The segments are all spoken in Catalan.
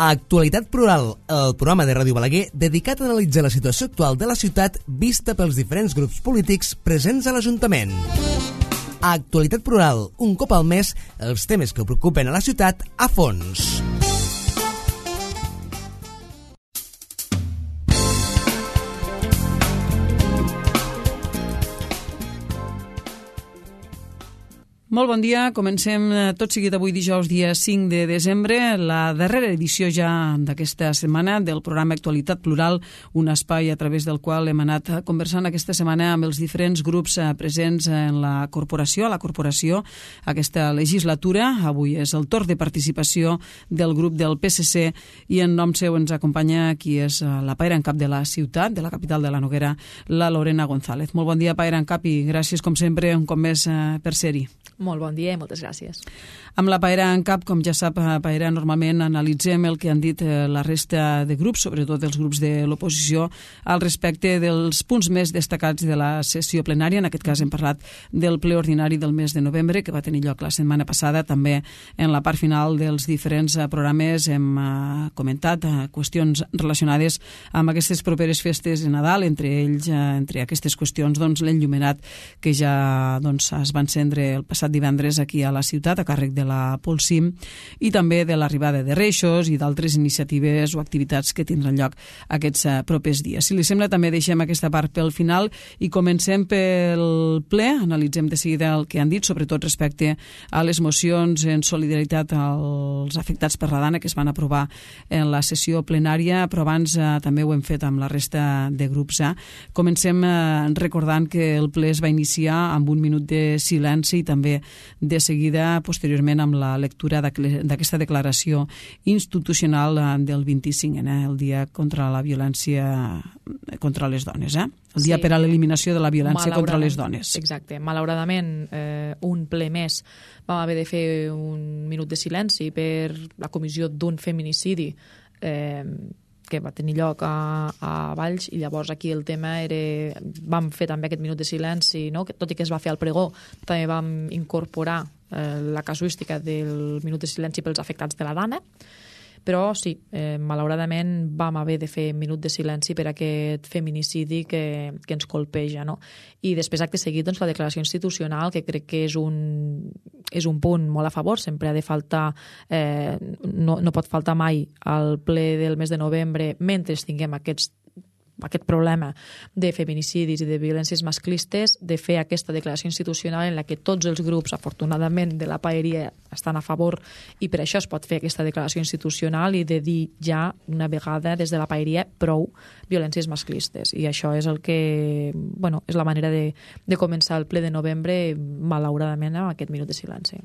Actualitat Plural, el programa de Ràdio Balaguer dedicat a analitzar la situació actual de la ciutat vista pels diferents grups polítics presents a l'Ajuntament. Actualitat Plural, un cop al mes, els temes que preocupen a la ciutat a fons. Molt bon dia, comencem tot seguit avui dijous dia 5 de desembre, la darrera edició ja d'aquesta setmana del programa Actualitat Plural, un espai a través del qual hem anat conversant aquesta setmana amb els diferents grups presents en la corporació, aquesta legislatura. Avui és el torn de participació del grup del PSC i en nom seu ens acompanya qui és la paira en cap de la ciutat, de la capital de la Noguera, la Lorena González. Molt bon dia, paira en cap, i gràcies com sempre un cop més per ser-hi. Molt bon dia i moltes gràcies. Amb la paera en cap, com ja sap, paera, normalment analitzem el que han dit la resta de grups, sobretot els grups de l'oposició, al respecte dels punts més destacats de la sessió plenària. En aquest cas hem parlat del ple ordinari del mes de novembre, que va tenir lloc la setmana passada. També en la part final dels diferents programes hem comentat qüestions relacionades amb aquestes properes festes de Nadal, entre ells, entre aquestes qüestions, l'enllumenat que ja es va encendre el passat divendres aquí a la ciutat a càrrec de la Polsim, i també de l'arribada de Reixos i d'altres iniciatives o activitats que tindran lloc aquests propers dies. Si li sembla, també deixem aquesta part pel final i comencem pel ple. Analitzem de seguida el que han dit, sobretot respecte a les mocions en solidaritat als afectats per la Dana que es van aprovar en la sessió plenària, però abans també ho hem fet amb la resta de grups. Comencem recordant que el ple es va iniciar amb un minut de silenci i també de seguida, posteriorment, amb la lectura d'aquesta declaració institucional del 25N, el dia contra la violència contra les dones, el dia per a l'eliminació de la violència contra les dones. Exacte. Malauradament, un ple més vam haver de fer un minut de silenci per la comissió d'un feminicidi que va tenir lloc a Valls, i llavors aquí el tema era... Vam fer també aquest minut de silenci, no? Tot i que es va fer al pregó, també vam incorporar la casuística del minut de silenci pels afectats de la Dana, però sí, malauradament vam haver de fer minut de silenci per aquest feminicidi que ens colpeja, no? I després, acte seguit, la declaració institucional, que crec que és un punt molt a favor. Sempre ha de faltar, no pot faltar mai al ple del mes de novembre, mentre tinguem aquest problema de feminicidis i de violències masclistes, de fer aquesta declaració institucional en la que tots els grups, afortunadament, de la paeria estan a favor, i per això es pot fer aquesta declaració institucional i de dir ja una vegada des de la paeria prou violències masclistes. I això és el que, és la manera de començar el ple de novembre, malauradament, amb aquest minut de silenci.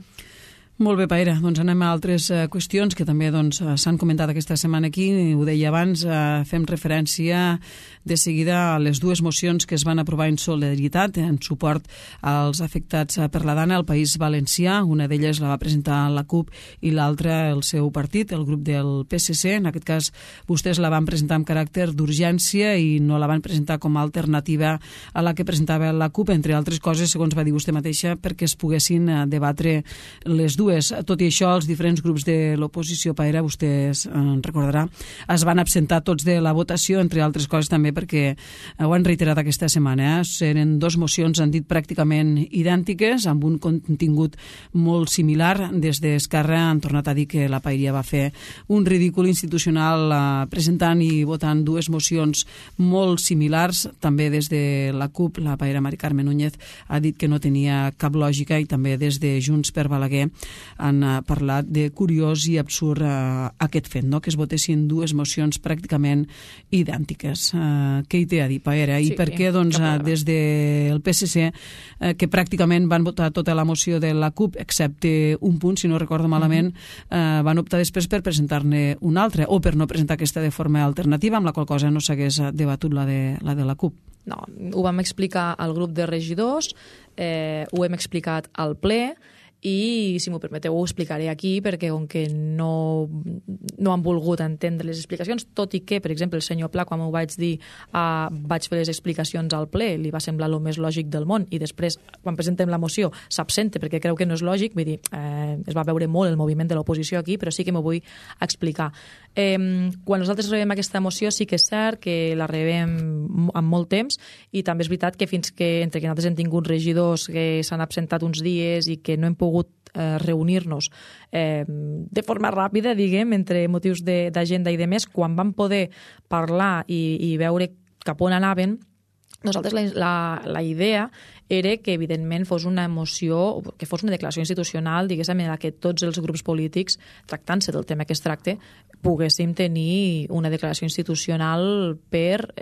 Molt bé, Paera. Anem a altres qüestions que també s'han comentat aquesta setmana aquí. Ho deia abans, fem referència de seguida a les dues mocions que es van aprovar en solidaritat, en suport als afectats per la Dana al País Valencià. Una d'elles la va presentar la CUP i l'altra el seu partit, el grup del PSC. En aquest cas, vostès la van presentar amb caràcter d'urgència i no la van presentar com a alternativa a la que presentava la CUP, entre altres coses, segons va dir vostè mateixa, perquè es poguessin debatre les dues. Tot i això, els diferents grups de l'oposició, Paera, vostè en recordarà, es van absentar tots de la votació, entre altres coses també perquè ho han reiterat aquesta setmana. Eren dues mocions, han dit, pràcticament idèntiques, amb un contingut molt similar. Des d'Esquerra han tornat a dir que la paeria va fer un ridícul institucional presentant i votant dues mocions molt similars. També des de la CUP, la paera Mari Carme Núñez ha dit que no tenia cap lògica, i també des de Junts per Balaguer han parlat de curiós i absurd aquest fet, que es votessin dues mocions pràcticament idèntiques. Què hi té a dir, Paera? I per què des del PSC, que pràcticament van votar tota la moció de la CUP, excepte un punt, si no recordo malament, van optar després per presentar-ne una altra, o per no presentar aquesta de forma alternativa, amb la qual cosa no s'hagués debatut la de la CUP? No, ho vam explicar al grup de regidors, ho hem explicat al ple, i, si m'ho permeteu, ho explicaré aquí, perquè com que no han volgut entendre les explicacions, tot i que, per exemple, el senyor Pla, quan m'ho vaig dir, vaig fer les explicacions al ple, li va semblar el més lògic del món, i després, quan presentem la moció, s'absenta perquè creu que no és lògic, vull dir, es va veure molt el moviment de l'oposició aquí, però sí que m'ho vull explicar. Quan nosaltres rebem aquesta moció, sí que és cert que la rebem amb molt temps, i també és veritat que fins que, entre que nosaltres hem tingut regidors que s'han absentat uns dies i que no hem pogut reunir-nos de forma ràpida, diguem, entre motius d'agenda i de més, quan vam poder parlar i veure cap on anaven, nosaltres la idea era que, evidentment, fos una moció, que fos una declaració institucional, diguéssim, en què tots els grups polítics, tractant-se del tema que es tracta, poguéssim tenir una declaració institucional per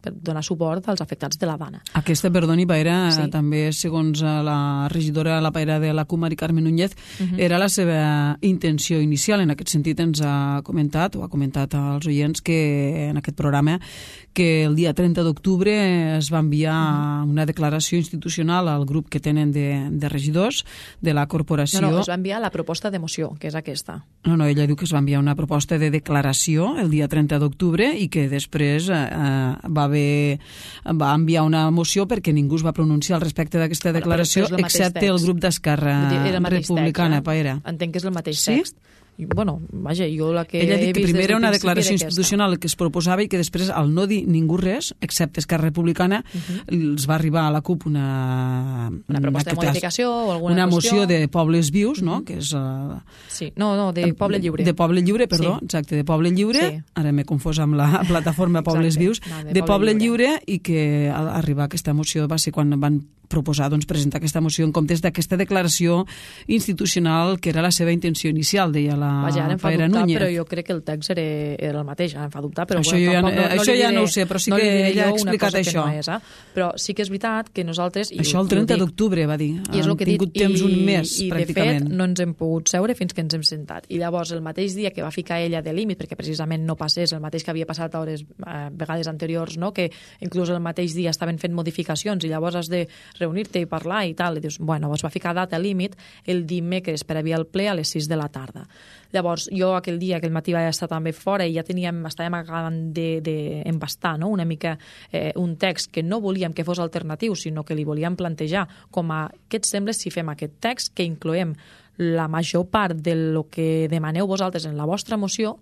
donar suport als afectats de la Dana. Aquesta, perdoni, Paera, sí. també, segons la regidora, la Paera de la CUP, Mari Carmen Núñez, era la seva intenció inicial. En aquest sentit ens ha comentat als oients que en aquest programa que el dia 30 d'octubre es va enviar una declaració institucional al grup que tenen de regidors de la corporació. No, es va enviar la proposta de moció, que és aquesta. No, ella diu que es va enviar una proposta de declaració el dia 30 d'octubre i que després va enviar una moció perquè ningú es va pronunciar al respecte d'aquesta declaració, excepte el grup d'Esquerra Republicana, Paera. Entenc que és el mateix text. Bueno, vaja, jo la que ella ha dit que primer era una declaració institucional que es proposava i que després, al no dir ningú res, excepte Esquerra Republicana, els va arribar a la CUP una proposta de modificació o alguna una moció de Pobles Vius, no? Que és sí, de Poble Lliure. De Poble Lliure, perdó, sí. Exacte, de Poble Lliure, sí. Ara m'he confós amb la plataforma Pobles Vius, de Poble Lliure, i que al arribar aquesta moció va ser quan van proposar presentar aquesta moció en comptes d'aquesta declaració institucional que era la seva intenció inicial, deia la Paera Núñez. Però jo crec que el text era el mateix, ara em fa dubtar, però això ja no ho sé, però sí que ella ha explicat això. Però sí que és veritat que nosaltres... Això el 30 d'octubre, va dir. Han tingut temps un mes, pràcticament. I, de fet, no ens hem pogut seure fins que ens hem sentat. I llavors, el mateix dia que va ficar ella de límit, perquè precisament no passés el mateix que havia passat a hores vegades anteriors, no? Que inclús el mateix dia estaven fent modificacions i llavors has de reunir-te i parlar i tal, i dius, bueno, es va ficar data límit el dimecres per haver el ple a les 6 de la tarda. Llavors, jo aquell matí vaig estar també fora i ja estàvem acabant d'embastar, no? Una mica un text que no volíem que fos alternatiu, sinó que li volíem plantejar com a què et sembla si fem aquest text, que incloem la major part del que demaneu vosaltres en la vostra moció,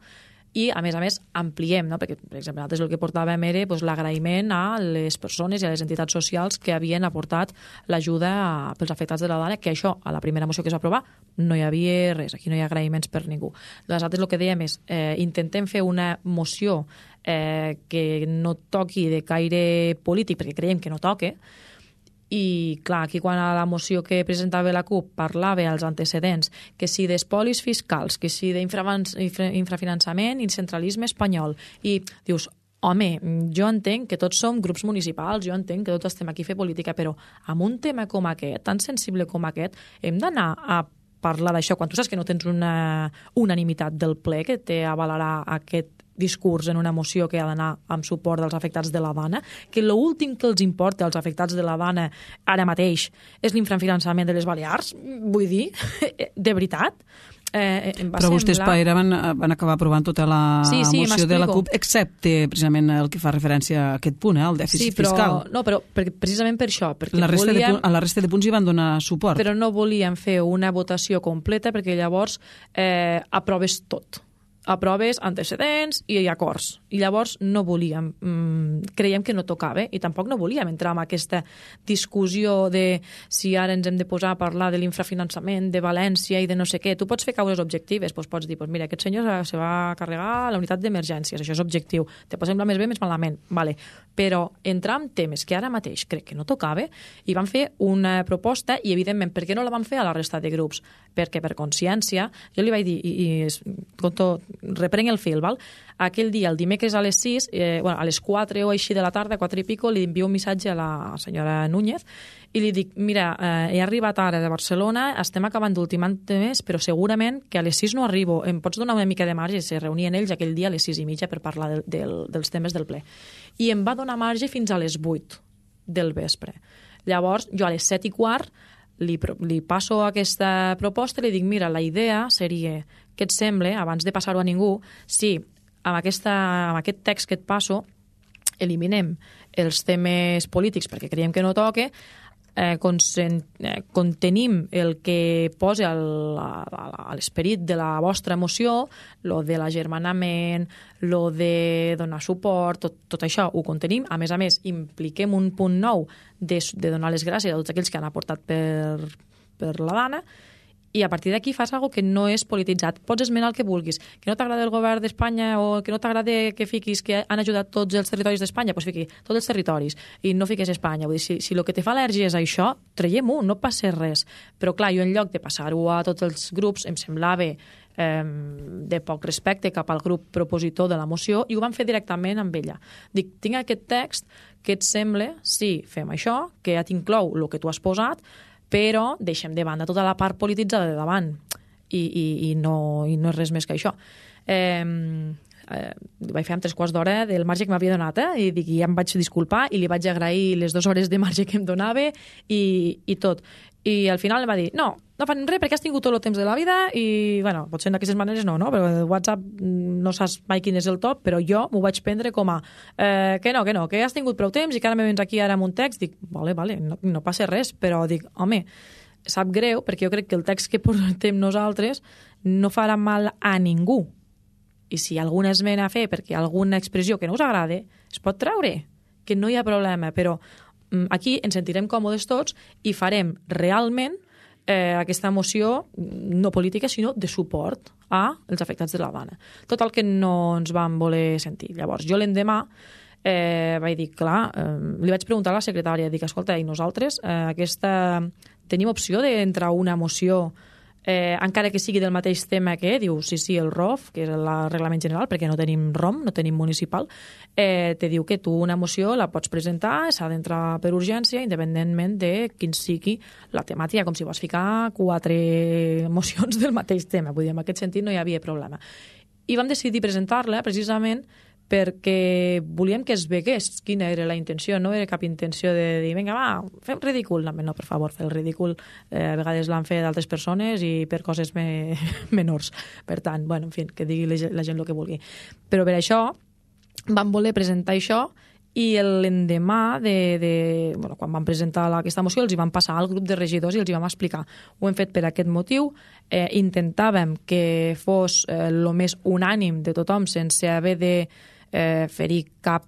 i, a més, ampliem, no? Perquè, per exemple, nosaltres el que portàvem era l'agraïment a les persones i a les entitats socials que havien aportat l'ajuda pels afectats de la Dana, que això, a la primera moció que es va aprovar, no hi havia res, aquí no hi ha agraïments per ningú. Nosaltres el que dèiem és, intentem fer una moció que no toqui de caire polític, perquè creiem que no toque, i, clar, aquí quan a la moció que presentava la CUP parlava als antecedents que si d'espolis fiscals, que si d'infrafinançament i centralisme espanyol, i dius, home, jo entenc que tots som grups municipals, jo entenc que tots estem aquí a fer política, però amb un tema com aquest, tan sensible com aquest, hem d'anar a parlar d'això quan tu saps que no tens una unanimitat del ple que t'avalarà aquest discurs en una moció que ha d'anar amb suport dels afectats de la Dana, que l'últim que els importa als afectats de la Dana ara mateix és l'infrafinançament de les Balears, vull dir, de veritat. Però vostès, Paera, van acabar aprovant tota la moció de la CUP, excepte precisament el que fa referència a aquest punt, el dèficit fiscal. No, però precisament per això. A la resta de punts hi van donar suport. Però no volíem fer una votació completa perquè llavors aproves tot. Aproves antecedents i acords. I llavors no volíem, creiem que no tocava, i tampoc no volíem entrar en aquesta discussió de si ara ens hem de posar a parlar de l'infrafinançament de València i de no sé què. Tu pots fer causes objectives, pots dir, mira, aquest senyor se va carregar la unitat d'emergències, això és objectiu, te pot semblar més bé, més malament, vale. Però entrar en temes que ara mateix crec que no tocava, i vam fer una proposta, i evidentment, per què no la vam fer a la resta de grups? Perquè per consciència, jo li vaig dir, reprenc el fil, val? Aquell dia, el dimecres a les 6, a les 4 o així de la tarda, 4 i pico, li envio un missatge a la senyora Núñez i li dic, mira, he arribat ara de Barcelona, estem acabant d'ultimant temes, però segurament que a les 6 no arribo, em pots donar una mica de marge? Se reunien ells aquell dia a les 6:30 per parlar dels temes del ple. I em va donar marge fins a les 8 del vespre. Llavors, jo a les 7:15 li passo aquesta proposta i li dic, mira, la idea seria, què et sembla, abans de passar-ho a ningú, si amb aquest text que et passo eliminem els temes polítics perquè creiem que no toca, contenim el que posa a l'esperit de la vostra moció, lo de l'agermanament, lo de donar suport, tot això ho contenim. A més, impliquem un punt nou de donar les gràcies a tots aquells que han aportat per la Dana, i a partir d'aquí fas alguna que no és polititzat. Pots esmenar el que vulguis. Que no t'agrada el govern d'Espanya o que no t'agrada que fiquis que han ajudat tots els territoris d'Espanya, doncs fiqui tots els territoris i no fiquis Espanya. Vull dir, si el que te fa al·lèrgia és això, traiem-ho, no passa res. Però clar, jo en lloc de passar-ho a tots els grups em semblava de poc respecte cap al grup propositor de la moció i ho vam fer directament amb ella. Dic, tinc aquest text, què et sembla si fem això, que ja t'inclou el que tu has posat, però deixem de banda tota la part polititzada de davant i no és res més que això. Vaig fer amb 3/4 d'hora del marge que m'havia donat, i dic, ja em vaig disculpar i li vaig agrair les 2 hores de marge que em donava i tot. I al final em va dir, no fan res perquè has tingut tot el temps de la vida i, bueno, potser d'aquestes maneres no, però el WhatsApp no saps mai quin és el top, però jo m'ho vaig prendre com a que no, que has tingut prou temps i que ara me vens aquí ara amb un text. Dic, vale, no passa res, però dic, home, sap greu perquè jo crec que el text que portem nosaltres no farà mal a ningú. I si hi ha alguna esmena a fer perquè hi ha alguna expressió que no us agrada, es pot treure, que no hi ha problema, però aquí ens sentirem còmodes tots i farem realment aquesta moció no política, sinó de suport als afectats de la Dana. Tot el que no ens van voler sentir. Llavors, jo l'endemà vaig dir, clar, li vaig preguntar a la secretària, dic, escolta, i nosaltres tenim opció d'entrar una moció encara que sigui del mateix tema que diu, sí, el ROF, que és el reglament general, perquè no tenim ROM, no tenim municipal, te diu que tu una moció la pots presentar, s'ha d'entrar per urgència, independentment de quin sigui la temàtica, com si vols ficar 4 mocions del mateix tema. Vull dir, en aquest sentit no hi havia problema. I vam decidir presentar-la precisament perquè volíem que es vegués quina era la intenció, no era cap intenció de dir, vinga, va, fem ridícul. No, per favor, fer el ridícul. A vegades l'han fet d'altres persones i per coses menors. Per tant, bueno, en fi, que digui la gent el que vulgui. Però per això vam voler presentar això i l'endemà quan vam presentar aquesta moció els hi vam passar al grup de regidors i els hi vam explicar. Ho hem fet per aquest motiu, intentàvem que fos el més unànim de tothom sense haver de ferir cap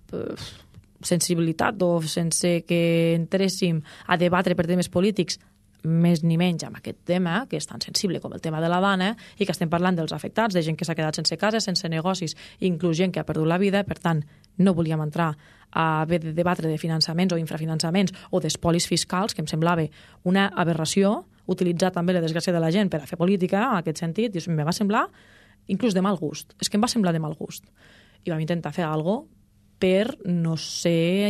sensibilitat o sense que entréssim a debatre per temes polítics, més ni menys amb aquest tema, que és tan sensible com el tema de la Dana, i que estem parlant dels afectats, de gent que s'ha quedat sense casa, sense negocis, inclús gent que ha perdut la vida. Per tant, no volíem entrar a haver de debatre de finançaments o infrafinançaments o d'espolis fiscals, que em semblava una aberració, utilitzar també la desgràcia de la gent per a fer política, en aquest sentit, i em va semblar inclús de mal gust. És que em va semblar de mal gust. I vam intentar fer alguna cosa per no ser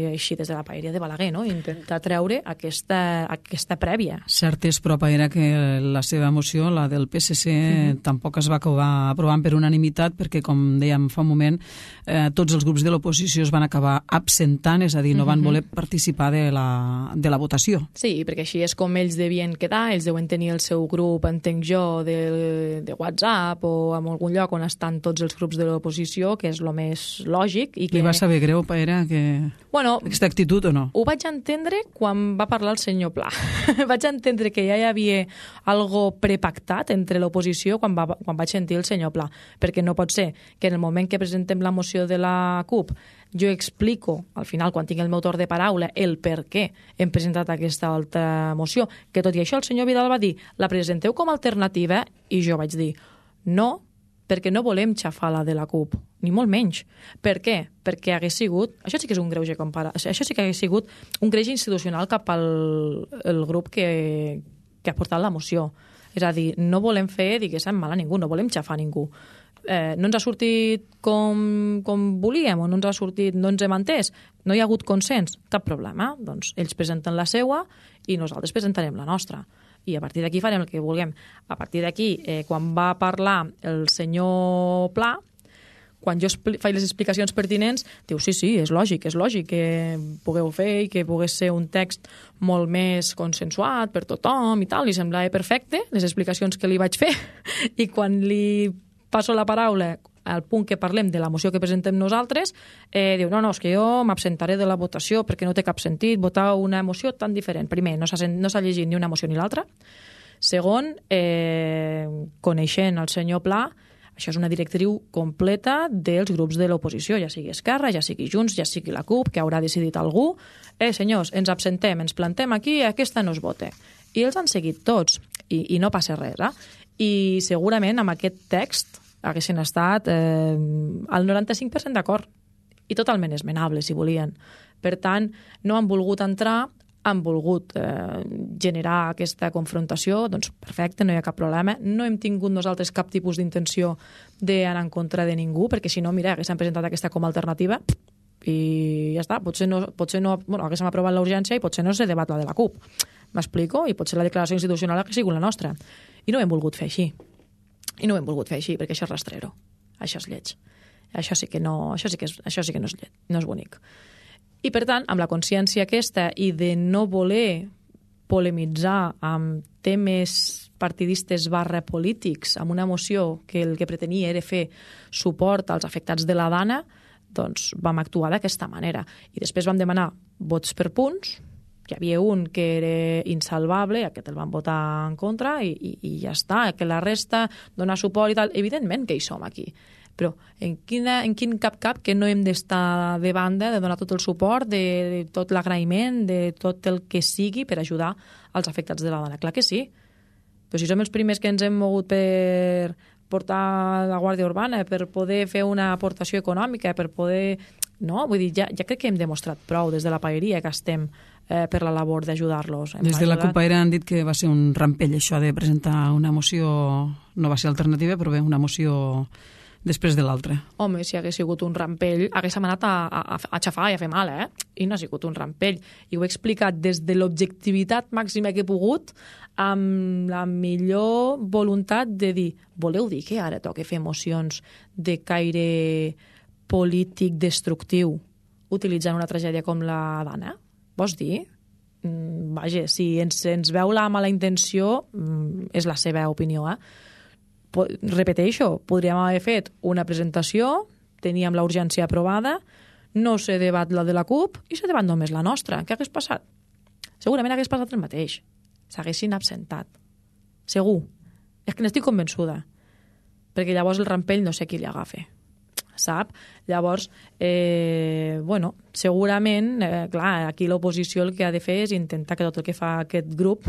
així des de la paeria de Balaguer, no? Intentar treure aquesta prèvia. Cert és, però, Paera, que la seva moció, la del PSC, tampoc es va acabar aprovant per unanimitat perquè, com dèiem fa un moment, tots els grups de l'oposició es van acabar absentant, és a dir, no van voler participar de la votació. Sí, perquè així és com ells devien quedar, ells deuen tenir el seu grup, entenc jo, de WhatsApp o en algun lloc on estan tots els grups de l'oposició, que és el més lògic. I li va saber greu, Paera, aquesta actitud o no? Ho vaig entendre quan va parlar el senyor Pla. Vaig entendre que ja hi havia algo prepactat entre l'oposició quan vaig sentir el senyor Pla, perquè no pot ser que en el moment que presentem la moció de la CUP jo explico, al final, quan tinc el meu torn de paraula, el per què hem presentat aquesta altra moció, que tot i això el senyor Vidal va dir, la presenteu com a alternativa, i jo vaig dir, no, perquè no volem xafar la de la CUP, ni molt menys. Per què? Perquè hagués sigut... Això sí que és un greuge comparat. Això sí que hagués sigut un greuge institucional cap al grup que ha portat la moció. És a dir, no volem fer, diguéssim, mal a ningú, no volem xafar a ningú. No ens ha sortit com volíem o no ens ha sortit, no ens hem entès, no hi ha hagut consens, cap problema. Doncs ells presenten la seua i nosaltres presentarem la nostra. I a partir d'aquí farem el que vulguem. A partir d'aquí, quan va parlar el senyor Pla, quan jo faig les explicacions pertinents, diu, sí, és lògic que pugueu fer i que pogués ser un text molt més consensuat per tothom i tal, li semblava perfecte les explicacions que li vaig fer, i quan li passo la paraula al punt que parlem de la moció que presentem nosaltres, diu, no, és que jo m'absentaré de la votació perquè no té cap sentit votar una moció tan diferent. Primer, no s'ha llegit ni una moció ni l'altra. Segon, coneixent el senyor Pla, això és una directriu completa dels grups de l'oposició, ja sigui Esquerra, ja sigui Junts, ja sigui la CUP, que haurà decidit algú. Senyors, ens absentem, ens plantem aquí, aquesta no es vota. I els han seguit tots, i no passa res. I segurament amb aquest text haguessin estat al 95% d'acord i totalment esmenable, si volien. Per tant, no han volgut entrar, han volgut generar aquesta confrontació, doncs perfecte, no hi ha cap problema. No hem tingut nosaltres cap tipus d'intenció d'anar en contra de ningú, perquè si no, mira, haguessin presentat aquesta com a alternativa i ja està. Potser no, haguéssim aprovat la urgència i potser no se debat la de la CUP. M'explico? I potser la declaració institucional hagués sigut la nostra. I no ho hem volgut fer així. Perquè això és rastrero. Això és lleig. Això sí que no és lleig, no és bonic. I, per tant, amb la consciència aquesta i de no voler polemitzar amb temes partidistes / polítics, amb una moció que el que pretenia era fer suport als afectats de la Dana, doncs vam actuar d'aquesta manera. I després vam demanar vots per punts. Hi havia un que era insalvable, aquest el van votar en contra i ja està, que la resta dona suport i tal. Evidentment que hi som aquí, però en quin cap que no hem d'estar de banda, de donar tot el suport, de tot l'agraïment, de tot el que sigui per ajudar als afectats de la Dana. Clar que sí, però si som els primers que ens hem mogut per portar la Guàrdia Urbana, per poder fer una aportació econòmica, per poder... No, vull dir, ja crec que hem demostrat prou des de la paeria que estem per la labor d'ajudar-los. Des de la CUP-Paera han dit que va ser un rampell això de presentar una moció, no va ser alternativa, però bé, una moció després de l'altra. Home, si hagués sigut un rampell, haguéssim anat a xafar i a fer mal, I no ha sigut un rampell. I ho he explicat des de l'objectivitat màxima que he pogut, amb la millor voluntat de dir, voleu dir que ara toca fer mocions de caire polític destructiu utilitzant una tragèdia com la Dana? Vols dir? Vaja, si ens veu la mala intenció, és la seva opinió, Repeteixo, podríem haver fet una presentació, teníem la urgència aprovada, no se debat la de la CUP i se debat només la nostra. Què hagués passat? Segurament hagués passat el mateix. S'haguessin absentat. Segur. És que n'estic convençuda. Perquè llavors el rampell no sé qui li agafa. Sap? Llavors, segurament, clar, aquí l'oposició el que ha de fer és intentar que tot el que fa aquest grup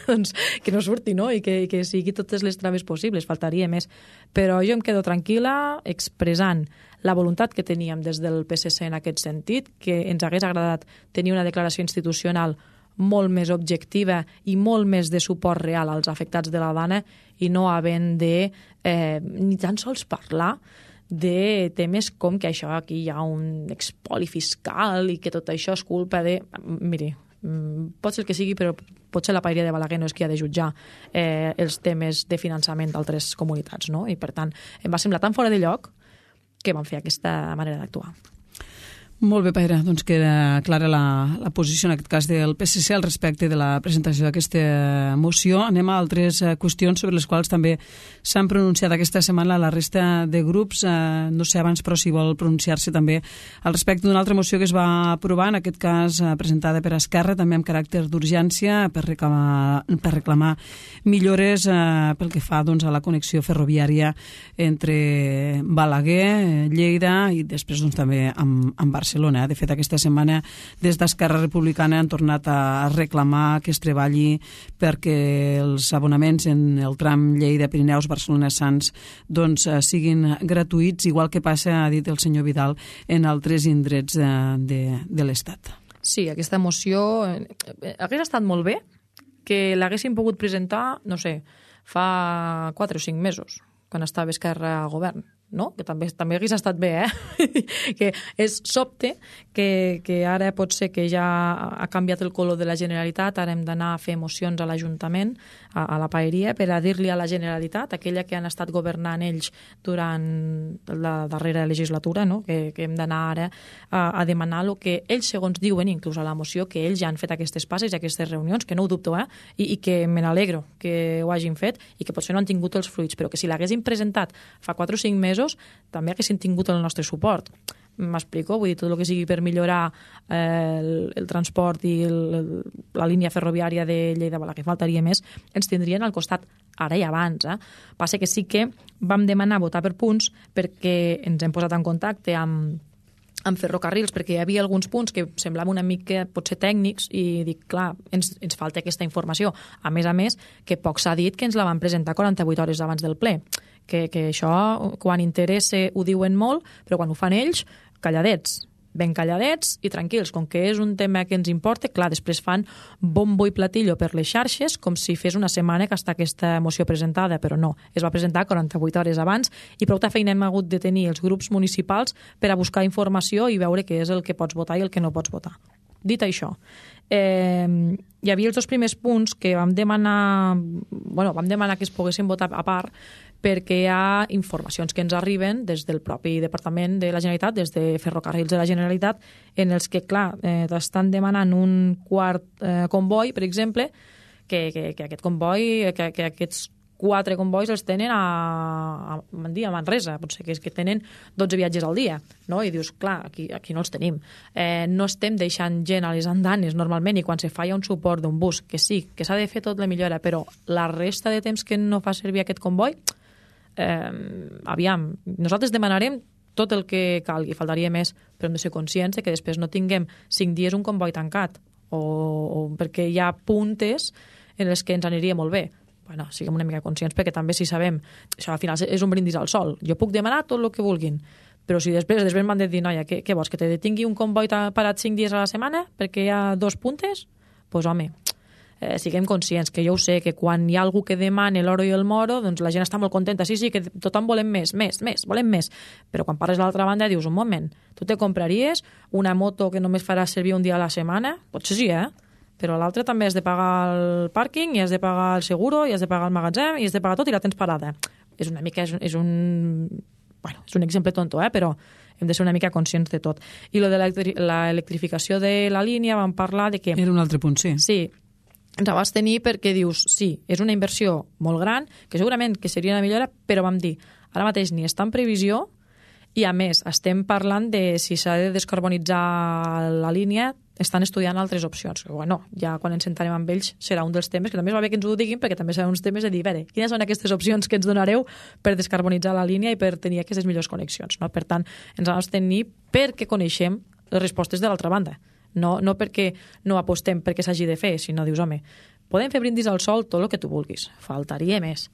doncs, que no surti, no? I que sigui totes les traves possibles, faltaria més. Però jo em quedo tranquil·la expressant la voluntat que teníem des del PSC en aquest sentit, que ens hagués agradat tenir una declaració institucional molt més objectiva i molt més de suport real als afectats de la Dana i no havent de ni tan sols parlar de temes com que això aquí hi ha un expoli fiscal i que tot això és culpa de... Miri, pot ser el que sigui, però potser la paeria de Balaguer no és qui ha de jutjar els temes de finançament d'altres comunitats, no? I per tant, em va semblar tan fora de lloc que vam fer aquesta manera d'actuar. Molt bé, Paera, doncs queda clara la posició en aquest cas del PSC al respecte de la presentació d'aquesta moció. Anem a altres qüestions sobre les quals també s'han pronunciat aquesta setmana la resta de grups. No sé abans, però si vol pronunciar-se també al respecte d'una altra moció que es va aprovar, en aquest cas presentada per Esquerra, també amb caràcter d'urgència, per reclamar millores pel que fa doncs, a la connexió ferroviària entre Balaguer, Lleida i després doncs, també amb Barcelona. De fet, aquesta setmana des d'Esquerra Republicana han tornat a reclamar que es treballi perquè els abonaments en el tram Lleida-Pirineus-Barcelona-Sants doncs, siguin gratuïts, igual que passa, ha dit el senyor Vidal, en altres indrets de l'Estat. Sí, aquesta moció hagués estat molt bé que l'haguéssim pogut presentar, no sé, fa 4 o 5 mesos, quan estava Esquerra al govern. no? Que també hagués estat bé, que és sobte que ara pot ser que ja ha canviat el color de la Generalitat, ara hem d'anar a fer mocions a l'Ajuntament, a la paeria, per a dir-li a la Generalitat, aquella que han estat governant ells durant la darrera legislatura, no? Que hem d'anar ara a demanar el que ells, segons diuen, inclús a la moció, que ells ja han fet aquestes passes i aquestes reunions, que no ho dubto, i que me n'alegro que ho hagin fet i que potser no han tingut els fruits, però que si l'haguessin presentat fa 4 o 5 mesos també haguessin tingut el nostre suport. M'explico? Vull dir, tot el que sigui per millorar el transport i la línia ferroviària de Lleida-Balaguer, faltaria més, ens tindrien al costat ara i abans. Passa que sí que vam demanar votar per punts perquè ens hem posat en contacte amb ferrocarrils, perquè hi havia alguns punts que semblaven una mica potser tècnics i dic, clar, ens falta aquesta informació. A més, que poc s'ha dit que ens la van presentar 48 hores abans del ple. Que això, quan interessa, ho diuen molt, però quan ho fan ells, calladets, ben calladets i tranquils. Com que és un tema que ens importa, clar, després fan bombo i platillo per les xarxes com si fes una setmana que està aquesta moció presentada, però no, es va presentar 48 hores abans i prou feina hem hagut de tenir els grups municipals per a buscar informació i veure què és el que pots votar i el que no pots votar. Dit això, hi havia els 2 primers punts que vam demanar que es poguessin votar a part perquè hi ha informacions que ens arriben des del propi Departament de la Generalitat, des de Ferrocarrils de la Generalitat, en els que, clar, t'estan demanant un quart comboi, per exemple, que aquest comboi, que aquests 4 combois els tenen a Manresa, potser que tenen 12 viatges al dia, no? I dius, clar, aquí no els tenim. No estem deixant gent a les andanes normalment i quan se falla un suport d'un bus, que sí, que s'ha de fer tot la millora, però la resta de temps que no fa servir aquest comboi, aviam, nosaltres demanarem tot el que calgui, faltaria més, però hem de ser conscients que després no tinguem 5 dies un comboi tancat, o perquè hi ha puntes en les que ens aniria molt bé. Bueno, siguem una mica conscients, perquè també si sabem, això al final és un brindis al sol. Jo puc demanar tot el que vulguin, però si després m'han de dir, noia, què vols, que te detingui un comboi parat 5 dies a la setmana perquè hi ha 2 puntes? Doncs home, siguem conscients, que jo ho sé, que quan hi ha algú que demana l'oro i el moro, doncs la gent està molt contenta, sí, que tothom volem més, volem més, però quan parles de l'altra banda dius, un moment, tu te compraries una moto que només farà servir un dia a la setmana? Potser sí, però l'altre també has de pagar el pàrquing i has de pagar el seguro i has de pagar el magatzem i has de pagar tot i la tens parada. És una mica, és un exemple tonto, però hem de ser una mica conscients de tot. I lo de l'electrificació de la línia vam parlar de que... Era un altre punt, sí. Sí, ens vas tenir perquè dius, sí, és una inversió molt gran, que segurament que seria una millora, però vam dir, ara mateix ni està en previsió i, a més, estem parlant de si s'ha de descarbonitzar la línia, estan estudiant altres opcions. Bueno, ja quan ens sentarem amb ells serà un dels temes, que també va bé que ens ho diguin, perquè també seran uns temes de dir, quines són aquestes opcions que ens donareu per descarbonitzar la línia i per tenir aquestes millors connexions. No? Per tant, ens hem de tenir perquè coneixem les respostes de l'altra banda. No perquè no apostem perquè s'hagi de fer, sinó dius, home, podem fer brindis al sol tot el que tu vulguis, faltaria més.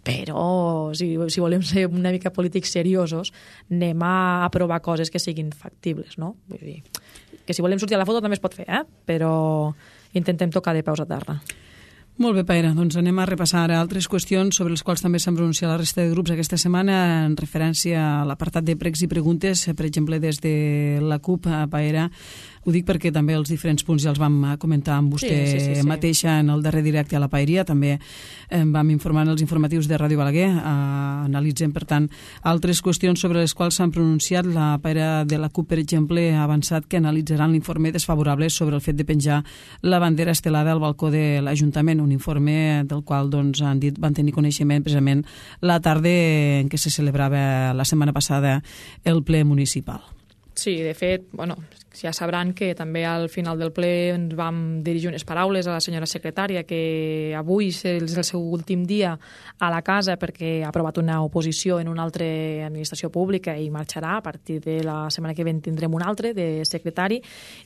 Però si volem ser una mica polítics seriosos, anem a aprovar coses que siguin factibles, no? Vull dir, que si volem sortir a la foto també es pot fer, però intentem tocar de peus a terra. Molt bé, Paera, doncs anem a repassar ara altres qüestions sobre les quals també s'han pronunciat la resta de grups aquesta setmana en referència a l'apartat de pregs i preguntes, per exemple, des de la CUP, Paera. Ho dic perquè també els diferents punts ja els vam comentar amb vostè sí. Mateixa en el darrer directe a la Paeria, també vam informar en els informatius de Ràdio Balaguer, analitzem, per tant, altres qüestions sobre les quals s'han pronunciat. La Paera de la CUP, per exemple, ha avançat que analitzaran l'informe desfavorable sobre el fet de penjar la bandera estelada al balcó de l'Ajuntament, un informe del qual doncs, han dit van tenir coneixement precisament la tarda en què se celebrava la setmana passada el ple municipal. Sí, de fet, ja sabran que també al final del ple ens vam dirigir unes paraules a la senyora secretària, que avui és el seu últim dia a la casa perquè ha aprovat una oposició en una altra administració pública i marxarà. A partir de la setmana que ve tindrem un altre de secretari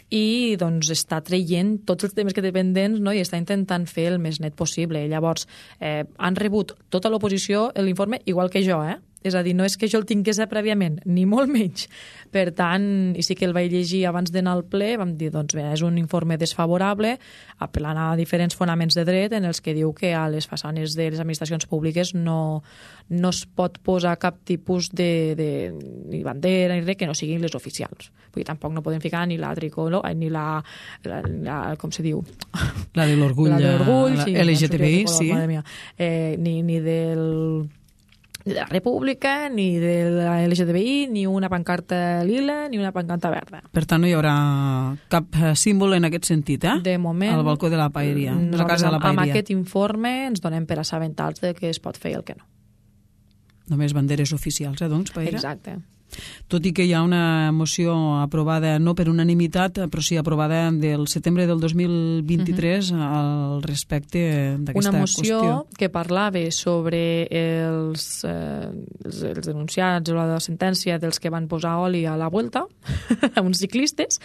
i doncs està traient tots els temes que té pendents, no? I està intentant fer el més net possible. Llavors, han rebut tota l'oposició l'informe igual que jo, És a dir, no és que jo el tingués prèviament, ni molt menys. Per tant, i sí que el vaig llegir abans d'anar al ple, vam dir, doncs bé, és un informe desfavorable, apel·lant a diferents fonaments de dret en els que diu que a les façanes de les administracions públiques no es pot posar cap tipus de ni bandera ni res que no siguin les oficials. Vull dir, tampoc no podem ficar ni la tricolor, ni la com se diu? La de l'orgull, sí, LGTBI, sí. Ni de la República, ni de la LGTBI, ni una pancarta lila, ni una pancarta verda. Per tant, no hi haurà cap símbol en aquest sentit, De moment, al balcó de la paeria, de la casa de la paeria. Amb aquest informe ens donem per assabentats de què es pot fer i el que no. Només banderes oficials, doncs, paera? Exacte. Tot i que hi ha una moció aprovada, no per unanimitat, però sí aprovada del setembre del 2023 al respecte d'aquesta qüestió. Una moció que parlava sobre els denunciats o la sentència dels que van posar oli a la Vuelta, a uns ciclistes,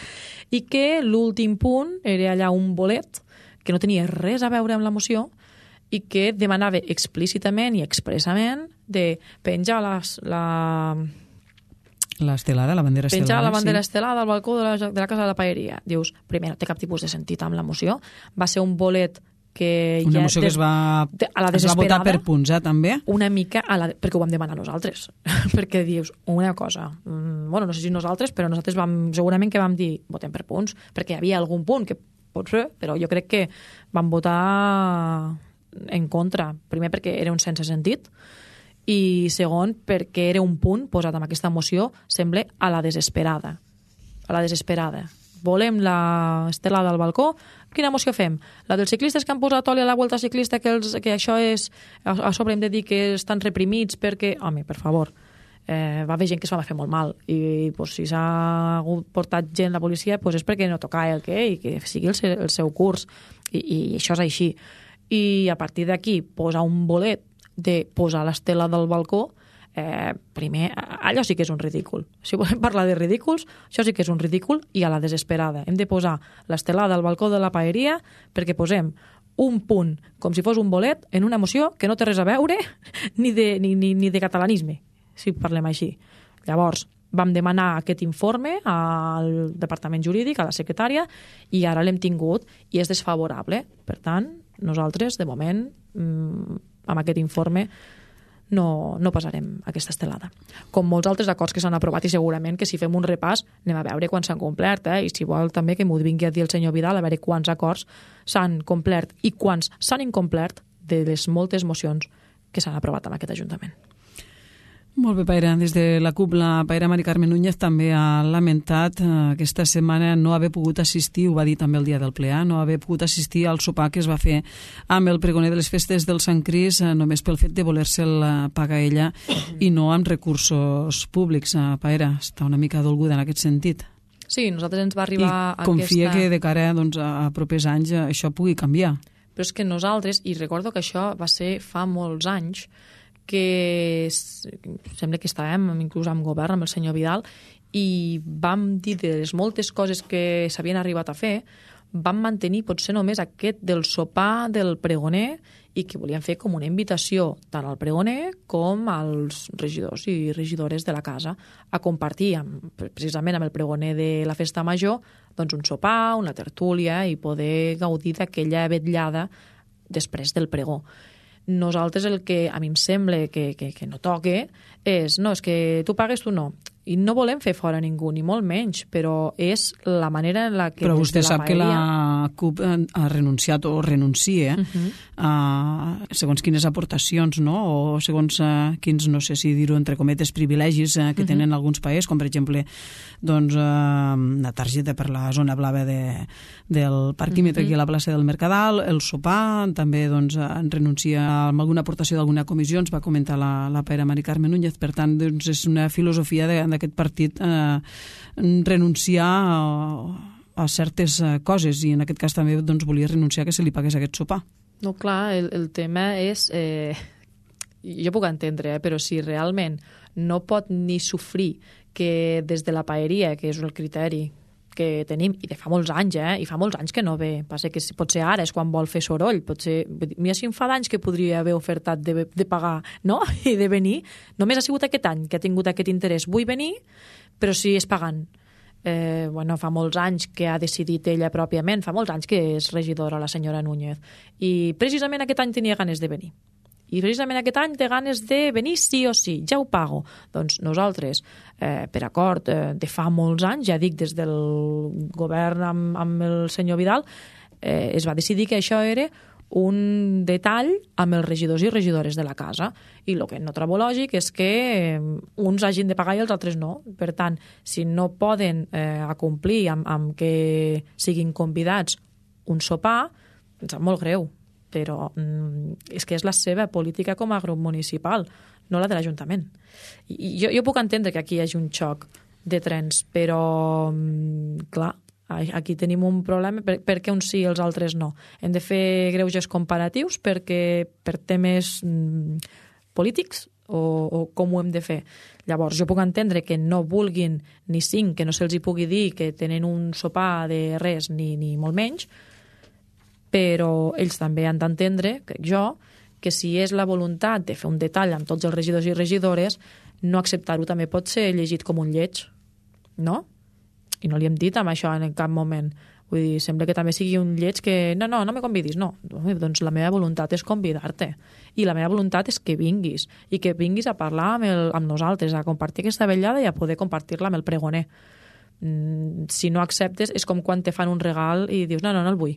i que l'últim punt era allà un bolet que no tenia res a veure amb la moció i que demanava explícitament i expressament de penjar l'estelada, la bandera estelada. Penjar la bandera estelada al balcó de la casa de la paeria. Dius, primer, no té cap tipus de sentit amb la moció. Va ser un bolet que una moció que es va votar per punts, també? Una mica, perquè ho vam demanar nosaltres. Perquè dius, una cosa, bueno, no sé si nosaltres, però nosaltres segurament que vam dir, votem per punts, perquè hi havia algun punt que pot ser, però jo crec que vam votar en contra. Primer, perquè era un sense sentit, i segon, perquè era un punt posat amb aquesta moció, sembla a la desesperada. A la desesperada. Volem l'estelada al balcó, quina moció fem? La dels ciclistes que han posat oli a la Vuelta Ciclista, que això és... A sobre hem de dir que estan reprimits perquè... Home, per favor, va haver gent que s'ho va fer molt mal i pues, si s'ha portat gent la policia pues, és perquè no tocava el que i que sigui el seu curs i això és així. I a partir d'aquí posar un bolet de posar l'estela del balcó, primer, allò sí que és un ridícul. Si volem parlar de ridículs, això sí que és un ridícul i a la desesperada. Hem de posar l'estelada al balcó de la paeria perquè posem un punt, com si fos un bolet, en una moció que no té res a veure ni de catalanisme, si parlem així. Llavors, vam demanar aquest informe al Departament Jurídic, a la secretària, i ara l'hem tingut i és desfavorable. Per tant, nosaltres, de moment, amb aquest informe no passarem aquesta estelada. Com molts altres acords que s'han aprovat i segurament que si fem un repàs anem a veure quan s'han complert i si vol també que m'ho vingui a dir el senyor Vidal a veure quants acords s'han complert i quants s'han incomplert de les moltes mocions que s'han aprovat en aquest Ajuntament. Molt bé, Paera. Des de la CUP, la Paera Mari Carmen Núñez també ha lamentat aquesta setmana no haver pogut assistir, ho va dir també el dia del ple, no haver pogut assistir al sopar que es va fer amb el pregoner de les festes del Sant Cris només pel fet de voler-se'l pagar ella i no amb recursos públics. Paera, està una mica dolguda en aquest sentit. Sí, nosaltres ens va arribar I confia que de cara doncs, a propers anys això pugui canviar. Però és que nosaltres, i recordo que això va ser fa molts anys, que sembla que estàvem inclús amb govern, amb el senyor Vidal, i vam dir de les moltes coses que s'havien arribat a fer, vam mantenir potser només aquest del sopar del pregoner i que volíem fer com una invitació tant al pregoner com als regidors i regidores de la casa a compartir precisament amb el pregoner de la festa major doncs un sopar, una tertúlia i poder gaudir d'aquella vetllada després del pregó. Nosaltres el que a mi em sembla que no toque és, no, és que tu pagues, tu no. I no volem fer fora ningú, ni molt menys, però és la manera en la que... Però vostè sap que la CUP ha renunciat o renuncia a segons quines aportacions, no? O segons quins, no sé si dir-ho entre cometes, privilegis que tenen alguns països, com per exemple doncs, una targeta per la zona blava del parquímetre aquí a la plaça del Mercadal, el sopar, també doncs, renuncia a alguna aportació d'alguna comissió, ens va comentar la Paera Mari Carmen Núñez, per tant doncs, és una filosofia d'aquest partit renunciar a certes coses i en aquest cas també doncs, volia renunciar que se li pagués aquest sopar. No, clar, el tema és... jo puc entendre, però si realment no pot ni sofrir que des de la paeria, que és el criteri que tenim, i de fa molts anys, i fa molts anys que no ve. Passa que potser ara és quan vol fer soroll, potser, mira si em fa d'anys que podria haver ofertat de pagar, no?, i de venir. Només ha sigut aquest any que ha tingut aquest interès. Vull venir, però sí és pagant. Fa molts anys que ha decidit ella pròpiament, fa molts anys que és regidora la senyora Núñez, i precisament aquest any tenia ganes de venir. I precisament aquest any té ganes de venir sí o sí, ja ho pago. Doncs nosaltres, per acord de fa molts anys, ja dic des del govern amb el senyor Vidal, es va decidir que això era un detall amb els regidors i regidores de la casa. I el que no trobo lògic és que uns hagin de pagar i els altres no. Per tant, si no poden acomplir amb que siguin convidats un sopar, em sap molt greu, però és que és la seva política com a grup municipal, no la de l'Ajuntament. Jo puc entendre que aquí hi hagi un xoc de trens, però, clar, aquí tenim un problema perquè uns sí i els altres no. Hem de fer greuges comparatius per temes polítics o com ho hem de fer. Llavors, jo puc entendre que no vulguin ni 5, que no se'ls hi pugui dir que tenen un sopar de res ni molt menys, però ells també han d'entendre, crec jo, que si és la voluntat de fer un detall amb tots els regidors i regidores, no acceptar-ho també pot ser llegit com un lleig, no? I no li hem dit amb això en cap moment. Vull dir, sembla que també sigui un lleig que no me convidis, no. Doncs la meva voluntat és convidar-te. I la meva voluntat és que vinguis. I que vinguis a parlar amb nosaltres, a compartir aquesta vetllada i a poder compartir-la amb el pregoner. Si no acceptes, és com quan te fan un regal i dius, no el vull.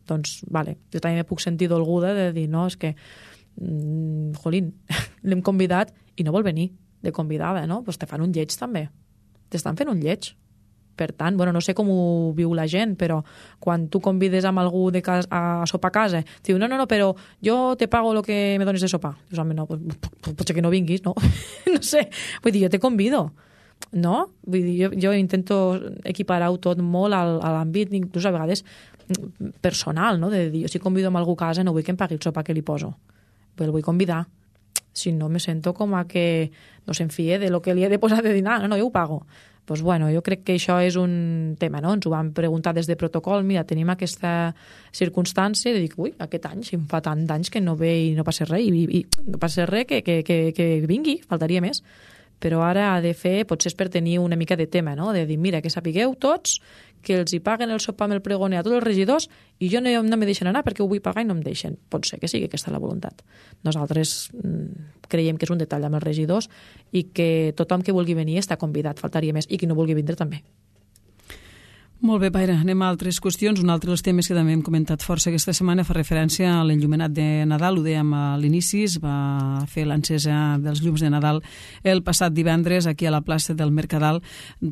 Doncs, vale, jo també me puc sentir dolguda de dir, no, és que, jolín, l'hem convidat i no vol venir de convidada, no? Doncs te fan un lleig també. T'estan fent un lleig. Per tant, no sé com ho viu la gent, però quan tu convides amb algú a sopar a casa, diu, no, però jo te pago el que me dones de sopar. Dius, home, no, potser que no vinguis, no? No sé, vull dir, jo te convido, no? Vull dir, jo intento equiparar-ho tot molt a l'àmbit, inclús a vegades personal, no? De dir, jo si convido amb algú a casa no vull que em pagui el sopar que li poso, però el vull convidar. Si no, me sento com a que no se'n fie de lo que li he de posar de dinar. No, jo ho pago. Doncs jo crec que això és un tema, no? Ens ho van preguntar des de protocol, mira, tenim aquesta circumstància de dir, aquest any, si em fa tant d'anys que no ve i no passa res, i no passa res que vingui, faltaria més. Però ara ha de fer, potser és per tenir una mica de tema, no? De dir, mira, que sapigueu tots que els hi paguen el sopar amb el pregoner a tots els regidors i jo no me deixen anar perquè ho vull pagar i no em deixen. Pot ser que sigui aquesta la voluntat. Nosaltres creiem que és un detall amb els regidors i que tothom que vulgui venir està convidat, faltaria més, i qui no vulgui vindre també. Molt bé, Paira, anem a altres qüestions. Un altre dels temes que també hem comentat força aquesta setmana fa referència a l'enllumenat de Nadal. Ho dèiem a l'inici, es va fer l'encesa dels llums de Nadal el passat divendres aquí a la plaça del Mercadal.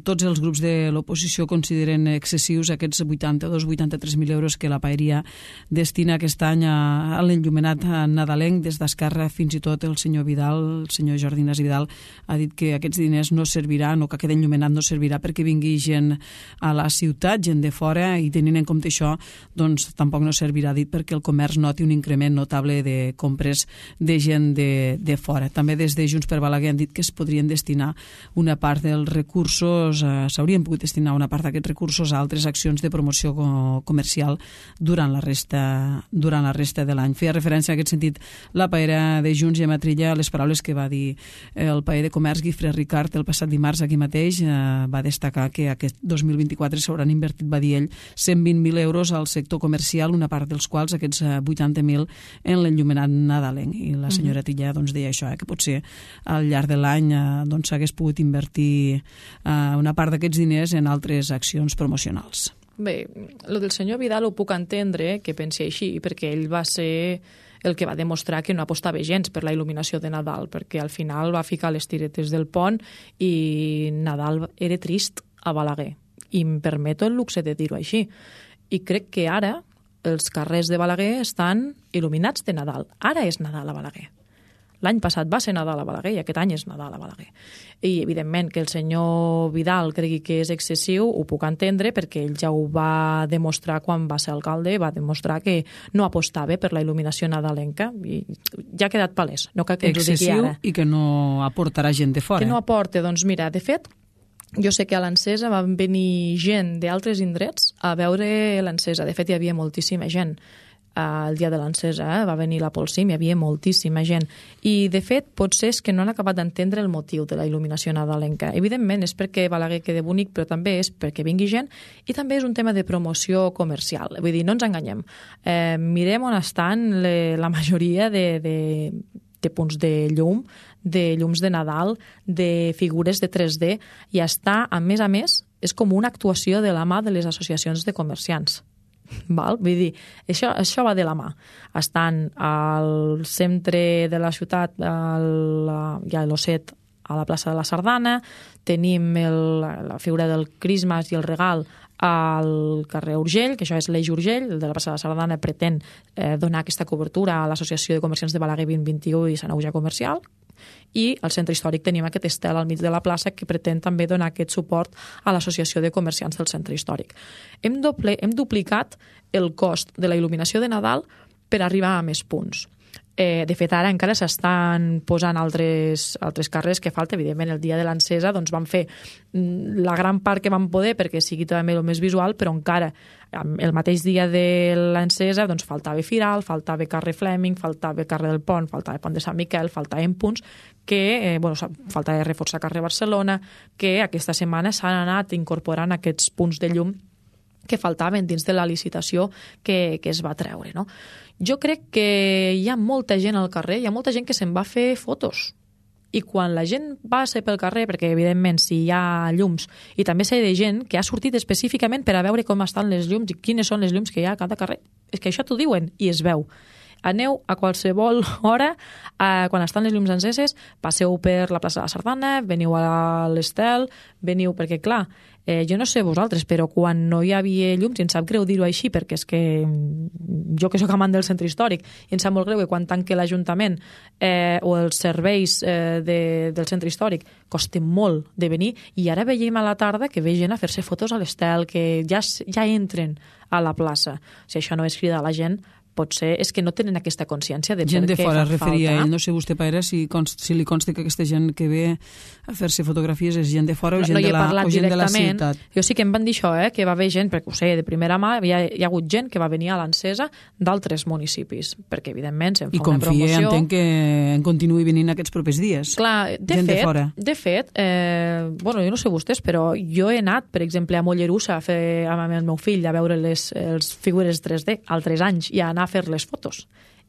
Tots els grups de l'oposició consideren excessius aquests 82-83.000 euros que la Paeria destina aquest any a l'enllumenat nadalenc. Des d'Esquerra, fins i tot el senyor Vidal, el senyor Jordi Ignasi Vidal, ha dit que aquests diners no serviran, o que aquest enllumenat no servirà perquè vingui gent a la ciutat, gent de fora, i tenint en compte això, doncs tampoc no servirà, dit, perquè el comerç noti un increment notable de compres de gent de fora. També des de Junts per Balaguer han dit que es podrien destinar una part dels recursos, s'haurien pogut destinar una part d'aquests recursos a altres accions de promoció comercial durant la resta de l'any. Feia referència en aquest sentit la paera de Junts, Gemma Trilla, a les paraules que va dir el paer de Comerç, Guifré Ricard, el passat dimarts aquí mateix. Va destacar que aquest 2024 s'hauran invertit, va dir ell, 120.000 euros al sector comercial, una part dels quals, aquests 80.000, en l'enllumenat nadalenc. I la senyora Trilla deia això, que potser al llarg de l'any s'hagués pogut invertir una part d'aquests diners en altres accions promocionals. Bé, el del senyor Vidal ho puc entendre que pensi així, perquè ell va ser el que va demostrar que no apostava gens per la il·luminació de Nadal, perquè al final va ficar les tiretes del pont i Nadal era trist a Balaguer. I em permeto el luxe de dir-ho així. I crec que ara els carrers de Balaguer estan il·luminats de Nadal. Ara és Nadal a Balaguer. L'any passat va ser Nadal a Balaguer i aquest any és Nadal a Balaguer. I, evidentment, que el senyor Vidal cregui que és excessiu, ho puc entendre, perquè ell ja ho va demostrar quan va ser alcalde, va demostrar que no apostava per la il·luminació nadalenca. I ja ha quedat palès. No cal que ens ho digui ara. Excessiu i que no aportarà gent de fora. Que no aporta, doncs mira, de fet, jo sé que a l'encesa van venir gent d'altres indrets a veure l'encesa. De fet, hi havia moltíssima gent el dia de l'encesa, va venir la Polsim, hi havia moltíssima gent. I, de fet, potser és que no han acabat d'entendre el motiu de la il·luminació nadalenca. Evidentment, és perquè Balaguer quedi bonic, però també és perquè vingui gent i també és un tema de promoció comercial. Vull dir, no ens enganyem. Mirem on estan la majoria de punts de llum, de llums de Nadal, de figures de 3D, i està, a més, és com una actuació de la mà de les associacions de comerciants. Val? Vull dir, això va de la mà. Estan al centre de la ciutat, hi ha l'Osset a la plaça de la Sardana, tenim la figura del Christmas i el regal al carrer Urgell, que això és l'Eix Urgell, el de la plaça de la Sardana pretén donar aquesta cobertura a l'Associació de Comerciants de Balaguer 2021 i Sant Aujà Comercial, i al centre històric tenim aquest estel al mig de la plaça que pretén també donar aquest suport a l'Associació de Comerciants del centre històric. Hem duplicat el cost de la il·luminació de Nadal per arribar a més punts. De fet, ara encara s'estan posant altres carrers que falta. Evidentment, el dia de l'encesa doncs, vam fer la gran part que vam poder perquè sigui també el més visual, però encara el mateix dia de l'encesa doncs, faltava Firal, faltava carrer Fleming, faltava carrer del Pont, faltava Pont de Sant Miquel, faltaven punts que, faltava reforçar carrer Barcelona, que aquesta setmana s'han anat incorporant aquests punts de llum que faltaven dins de la licitació que es va treure, no? Jo crec que hi ha molta gent al carrer, hi ha molta gent que se'n va a fer fotos. I quan la gent va ser pel carrer, perquè evidentment si hi ha llums, i també sé de gent que ha sortit específicament per a veure com estan les llums i quines són les llums que hi ha a cada carrer. És que això t'ho diuen i es veu. Aneu a qualsevol hora, quan estan les llums enceses, passeu per la plaça de la Sardana, veniu a l'Estel, veniu, perquè clar, jo no sé vosaltres, però quan no hi havia llums, i em sap greu dir-ho així, perquè és que jo que sóc amant del centre històric, i em sap molt greu que quan tanque l'Ajuntament o els serveis del centre històric costen molt de venir, i ara veiem a la tarda que ve gent a fer-se fotos a l'Estel, que ja entren a la plaça. Si això no és cridar a la gent, potser és que no tenen aquesta consciència de gent per què de fora fa es referia falta. ell. No sé vostè, Paera, si li consta que aquesta gent que ve a fer-se fotografies és gent de fora o gent, de la ciutat. Jo sí que em van dir això, que va haver gent, perquè ho sé, de primera mà hi ha hagut gent que va venir a l'encesa d'altres municipis, perquè evidentment se'n fa una promoció. I confia, entenc, que en continuï venint aquests propers dies. Clar, de fet, jo no sé vostès, però jo he anat, per exemple, a Mollerussa amb el meu fill a veure les figures 3D altres anys i a anar a fer les fotos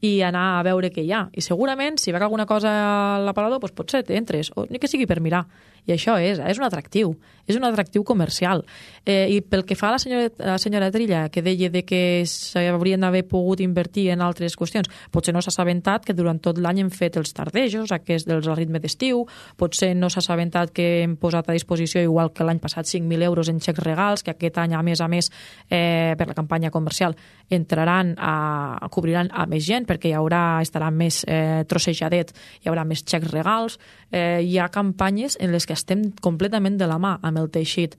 i anar a veure què hi ha. I segurament, si veig alguna cosa a l'aparador, doncs potser t'entres, o ni que sigui per mirar. I això és un atractiu comercial. I pel que fa a la senyora Trilla, que deia de que s'haurien d'haver pogut invertir en altres qüestions, potser no s'ha assabentat que durant tot l'any hem fet els tardejos, aquests dels ritmes d'estiu, potser no s'ha assabentat que hem posat a disposició, igual que l'any passat, 5.000 euros en xecs regals, que aquest any, a més, per la campanya comercial, cobriran a més gent, perquè estarà més trossejadet, hi haurà més xecs regals. Hi ha campanyes en les que estem completament de la mà amb el teixit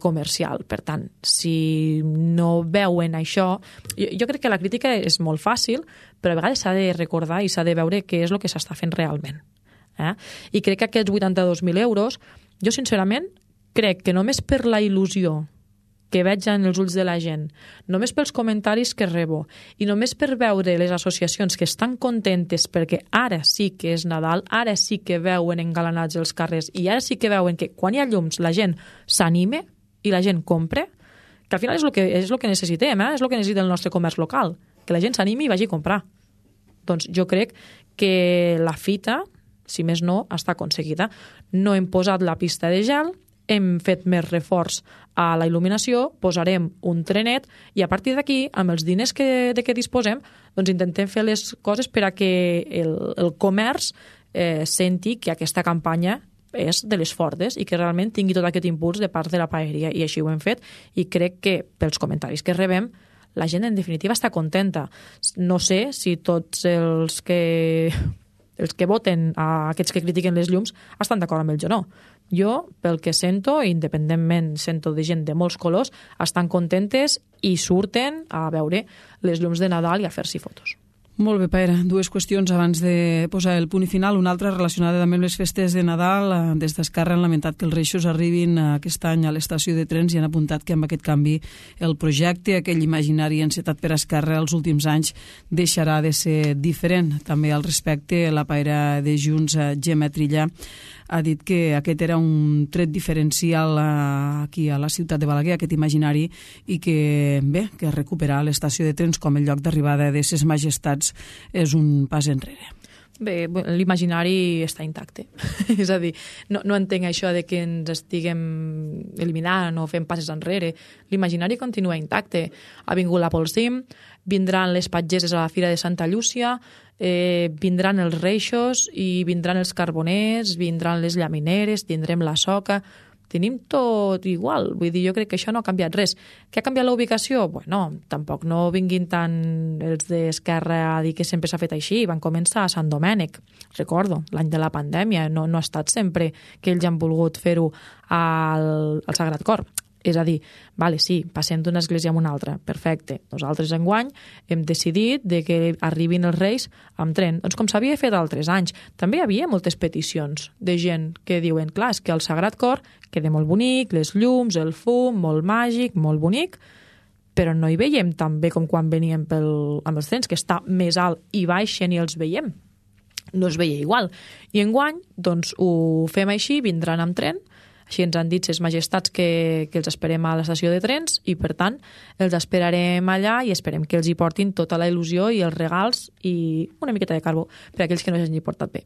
comercial. Per tant, si no veuen això... Jo crec que la crítica és molt fàcil, però a vegades s'ha de recordar i s'ha de veure què és el que s'està fent realment. I crec que aquests 82.000 euros, jo sincerament crec que només per la il·lusió que veig en els ulls de la gent, només pels comentaris que rebo i només per veure les associacions que estan contentes perquè ara sí que és Nadal, ara sí que veuen engalanats els carrers i ara sí que veuen que quan hi ha llums la gent s'anime i la gent compra, que al final és el que necessitem, és el que necessita el nostre comerç local, que la gent s'animi i vagi a comprar. Doncs jo crec que la fita, si més no, està aconseguida. No hem posat la pista de gel, hem fet més reforç a la il·luminació, posarem un trenet i a partir d'aquí, amb els diners de què disposem, doncs intentem fer les coses per a que el comerç senti que aquesta campanya és de les fortes i que realment tingui tot aquest impuls de part de la paeria, i així ho hem fet, i crec que pels comentaris que rebem la gent en definitiva està contenta. No sé si tots els que voten a aquests que critiquen les llums estan d'acord amb ells o no. Jo, pel que sento, independentment sento de gent de molts colors, estan contentes i surten a veure les llums de Nadal i a fer-s'hi fotos. Molt bé, Paera. Dues qüestions abans de posar el punt final. Una altra relacionada també amb les festes de Nadal. Des d'Esquerra han lamentat que els Reixos arribin aquest any a l'estació de trens i han apuntat que amb aquest canvi el projecte, aquell imaginari encetat per Esquerra els últims anys, deixarà de ser diferent. També al respecte, la Paera de Junts, Gemma Trilla, ha dit que aquest era un tret diferencial aquí a la ciutat de Balaguer, aquest imaginari, i que, bé, que recuperar l'estació de trens com el lloc d'arribada de ses majestats és un pas enrere. Bé, l'imaginari està intacte. És a dir, no entenc això de que ens estiguem eliminant o fent passes enrere. L'imaginari continua intacte. Ha vingut la Polsim, vindran les patgeses a la Fira de Santa Llúcia, vindran els Reixos i vindran els carboners, vindran les llamineres, tindrem la soca. Tenim tot igual, vull dir, jo crec que això no ha canviat res. Què ha canviat la ubicació? Bueno, tampoc no vinguin tant els d'Esquerra a dir que sempre s'ha fet així. Van començar a Sant Domènec, recordo, l'any de la pandèmia. No ha estat sempre que ells han volgut fer-ho al Sagrat Cor. És a dir, vale, sí, passem d'una església a una altra, perfecte. Nosaltres enguany hem decidit de que arribin els Reis amb tren, doncs com s'havia fet altres anys. També hi havia moltes peticions de gent que diuen, clar, és que el Sagrat Cor queda molt bonic, les llums, el fum, molt màgic, molt bonic, però no hi veiem tan bé com quan veníem amb els trens, que està més alt i baixen i els veiem. No es veia igual. I enguany, doncs, ho fem així, vindran amb tren. Així ens han dit ses majestats que els esperem a l'estació de trens i, per tant, els esperarem allà i esperem que els hi portin tota la il·lusió i els regals i una miqueta de carbó per a aquells que no s'hagin portat bé.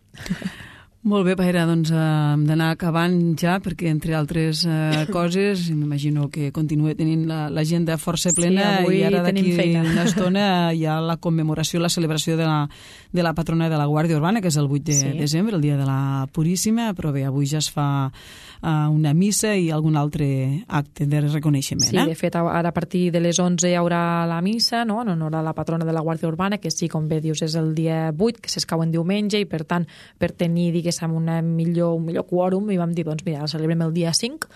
Molt bé, Paera, doncs hem d'anar acabant ja, perquè entre altres coses, m'imagino que continua tenint l'agenda força plena, sí, i ara d'aquí una estona hi ha la commemoració, la celebració de la patrona de la Guàrdia Urbana, que és el 8 de desembre, el dia de la Puríssima, però bé, avui ja es fa una missa i algun altre acte de reconeixement. Sí, de fet, ara a partir de les 11 hi haurà la missa, no?, en honor a la patrona de la Guàrdia Urbana, que sí, com bé dius, és el dia 8, que s'escau en diumenge, i per tant, per tenir, diguéssim, un millor quòrum, i vam dir, doncs mira, el celebrem el dia 5,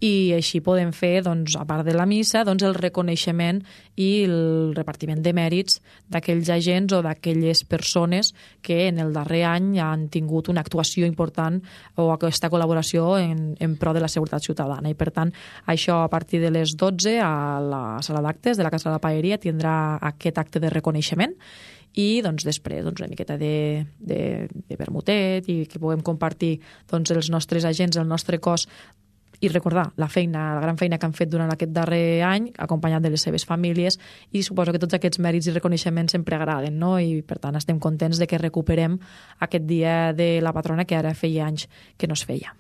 i així podem fer, doncs, a part de la missa, doncs, el reconeixement i el repartiment de mèrits d'aquells agents o d'aquelles persones que en el darrer any han tingut una actuació important o aquesta col·laboració en pro de la seguretat ciutadana. I, per tant, això a partir de les 12 a la sala d'actes de la Casa de la Paeria tindrà aquest acte de reconeixement i doncs, després una miqueta de vermutet i que puguem compartir doncs, els nostres agents, el nostre cos, i recordar la gran feina que han fet durant aquest darrer any, acompanyat de les seves famílies, i suposo que tots aquests mèrits i reconeixements sempre agraden, no? I per tant estem contents de que recuperem aquest dia de la patrona que ara feia anys que no es feia.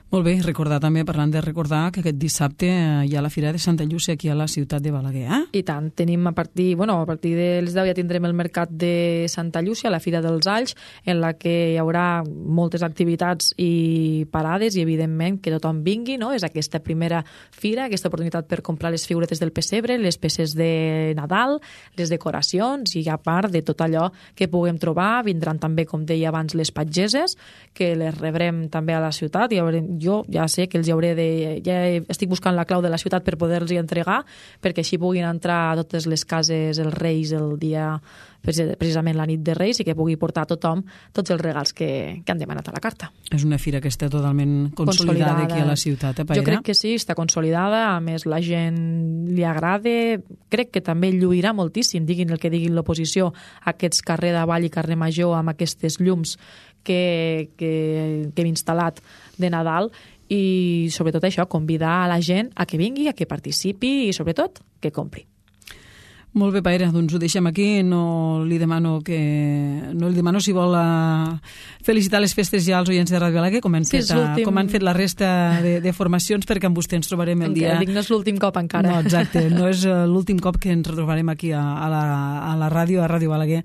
Molt bé, recordar també, parlant de recordar, que aquest dissabte hi ha la Fira de Santa Llúcia aquí a la ciutat de Balaguer, eh? I tant, tenim a partir de les 10 ja tindrem el mercat de Santa Llúcia, la Fira dels Alls, en la que hi haurà moltes activitats i parades i, evidentment, que tothom vingui, no? És aquesta primera fira, aquesta oportunitat per comprar les figuretes del pessebre, les peces de Nadal, les decoracions i, a part de tot allò que puguem trobar, vindran també, com deia abans, les patgeses, que les rebrem també a la ciutat i jo ja sé que els hauré ja estic buscant la clau de la ciutat per poder-los entregar, perquè així puguin entrar a totes les cases els Reis el dia, precisament la nit de Reis, i que pugui portar a tothom tots els regals que han demanat a la carta. És una fira que està totalment consolidada aquí a la ciutat, Paera? Jo crec que sí, està consolidada, a més la gent li agrada, crec que també lluirà moltíssim, diguin el que diguin l'oposició, aquests carrer d'Avall i carrer Major amb aquestes llums que hem instal·lat de Nadal, i sobretot això, convidar a la gent a que vingui, a que participi i sobretot que compri. Molt bé, Paera, doncs ho deixem aquí. No li demano si vol felicitar les festes ja als oients de Ràdio Balaguer, com han fet la resta de formacions, perquè amb vostè ens trobarem el dia... No és l'últim cop encara. No, exacte, no és l'últim cop que ens retrobarem aquí a la ràdio, a Ràdio Balaguer,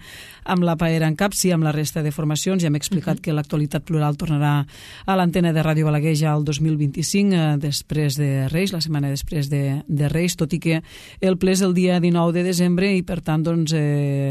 amb la Paera en cap, sí, amb la resta de formacions. Ja hem explicat que l'actualitat plural tornarà a l'antena de Ràdio Balaguer ja el 2025, després de Reis, la setmana després de Reis, tot i que el ple és el dia 19 de desembre, desembre i, per tant, doncs,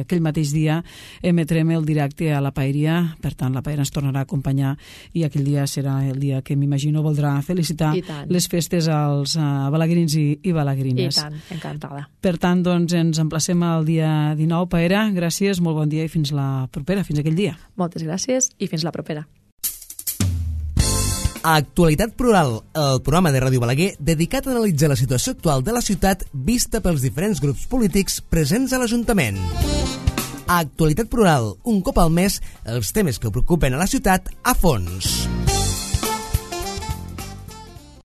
aquell mateix dia emetrem el directe a la Paeria. Per tant, la Paeria ens tornarà a acompanyar i aquell dia serà el dia que m'imagino voldrà felicitar les festes als balaguerins i balaguerines. I tant, encantada. Per tant, doncs, ens emplacem al dia 19. Paera, gràcies, molt bon dia i fins la propera, fins aquell dia. Moltes gràcies i fins la propera. Actualitat Plural, el programa de Ràdio Balaguer dedicat a analitzar la situació actual de la ciutat vista pels diferents grups polítics presents a l'Ajuntament. Actualitat Plural, un cop al mes, els temes que preocupen a la ciutat a fons.